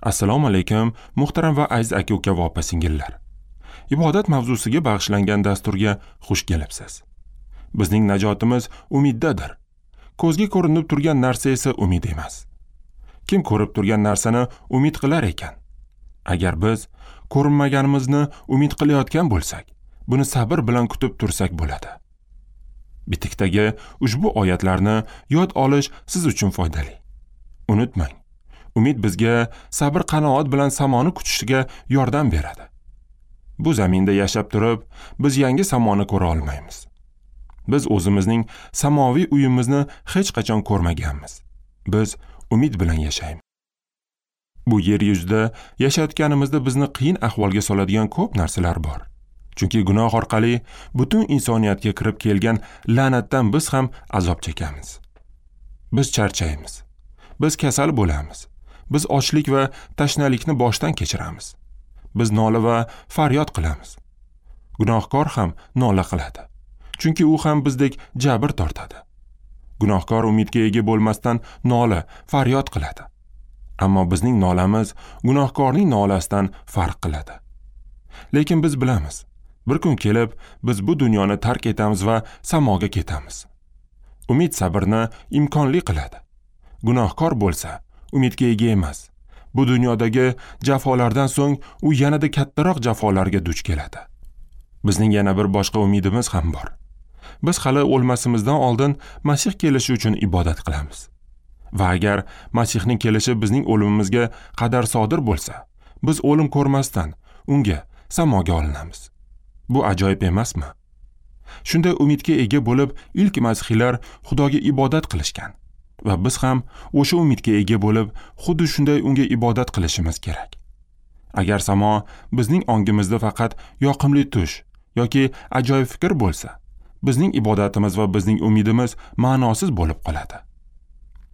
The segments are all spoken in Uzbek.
Assalomu alaykum, muhtaram va aziz aka-uka va opa-singillar. Ibodat mavzusiga bag'ishlangan dasturga xush kelibsiz. Bizning najotimiz umiddadir. Ko'zga ko'rinib turgan narsa esa umid emas. Kim ko'rib turgan narsani umid qilar ekan? Agar biz ko'rinmaganimizni umid qilayotgan bo'lsak, buni sabr bilan kutib tursak bo'ladi. Bitikdagi ushbu oyatlarni yod olish siz uchun foydali. Unutmang, umid bizga sabr qanoat bilan samoni kutishga yordam beradi. Bu zaminda yashab turib, biz yangi samoni ko'ra olmaymiz. Biz o'zimizning samoviy uyimizni hech qachon ko'rmaganmiz. Biz umid bilan yashaymiz. Bu yer yuzida yashayotganimizda bizni qiyin ahvolga soladigan ko'p narsalar bor. Chunki gunoh orqali butun insoniyatga kirib kelgan la'natdan biz ham azob chekamiz. Biz charchaymiz. Biz kasal bo'lamiz. Biz ochlik va tashnalikni boshdan kechiramiz. Biz nola va faryod qilamiz. Gunohkor ham nola qiladi. Chunki u ham bizdek jabr tortadi. Gunohkor umidga ega bo'lmasdan nola, faryod qiladi. Ammo bizning nolamiz gunohkorning nolasidan farq qiladi. Lekin biz bilamiz, bir kun kelib biz bu dunyoni tark etamiz va samoga ketamiz. Umid sabrni imkonli qiladi. Gunohkor bo'lsa, umidga ega emas. Bu dunyodagi jafolardan so'ng u yanada kattaroq jafolarga duch keladi. Bizning yana bir boshqa umidimiz ham bor. Biz hali o'lmasimizdan oldin Masih kelishi uchun ibodat qilamiz. Va agar Masihning kelishi bizning o'limimizga qadar sodir bo'lsa, biz o'lim ko'rmasdan unga samoga olinamiz. Bu ajoyib emasmi? Shunday umidga ega bo'lib, ilk masihiylar Xudoga ibodat qilishgan va biz ham o'sha umidga ega bo'lib, xuddi shunday unga ibodat qilishimiz kerak. Agar samo bizning ongimizda faqat yoqimli tush yoki ajoyib fikr bo'lsa, bizning ibodatimiz va bizning umidimiz ma'nosiz bo'lib qoladi.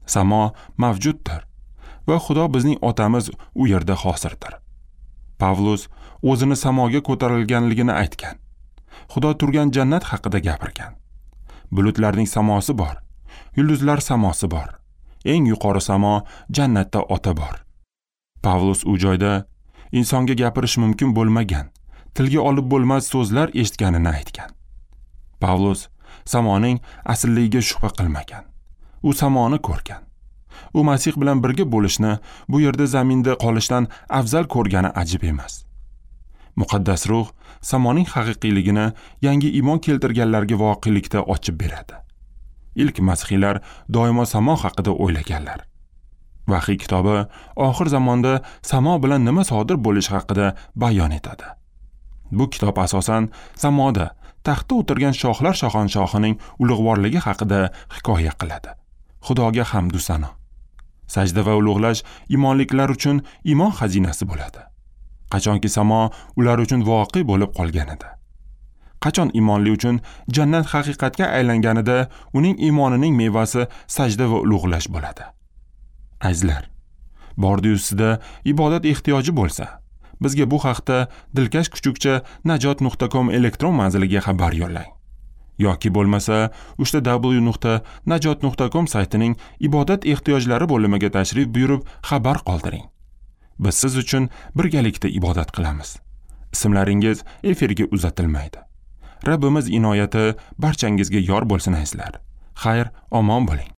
Samo mavjuddir va Xudo bizning otamiz u yerda hozirdir. Pavlus o'zini samoga ko'tarilganligini aytgan. Xudo turgan jannat haqida gapirgan. Bulutlarning samosi bor, yulduzlar samosi bor. Eng yuqori samo jannatda ota bor. Pavlus u joyda insonga gapirish mumkin bo'lmagan, tilga olib bo'lmas so'zlar eshitganini aytgan. Pavlus samoning aslligiga shubha qilmagan. U samoni ko'rgan. U Masih bilan birga bo'lishni, bu yerda zaminda qolishdan afzal ko'rgani ajib emas. Muqaddas ruh samoning haqiqiyligini yangi iymon keltirganlarga voqelikda ochib beradi. Ilk masihiylar doimo samo haqida o'ylaganlar. Vahiy kitobi oxir zamonda samo bilan nima sodir bo'lishi haqida bayon etadi. Bu kitob asosan samoda taxtda o'tirgan shohlar shohanshohining ulug'vorligi haqida hikoya qiladi. Xudoga hamd va sano. Sajda va ulug'lash imonliklar uchun iymon xazinasi bo'ladi. Qachonki samo ular uchun voqe bo'lib qolganida. Qachon imonli uchun jannat haqiqatga aylanganida uning iymonining mevasi sajda va ulug'lash bo'ladi. Azizlar, bordi-yu sizda ibodat ehtiyoji bo'lsa, bizga bu haqda dilkash kuchukcha najot.com elektron manziliga xabar yo'llang. Yoki bo'lmasa www.najot.com saytining ibodat ehtiyojlari bo'limiga tashrif buyurib xabar qoldiring. Biz siz uchun birgalikda ibodat qilamiz. Ismlaringiz efirga uzatilmaydi. Rabbimiz inoyati barchangizga yor bo'lsin azizlar. Xayr, omon bo'ling.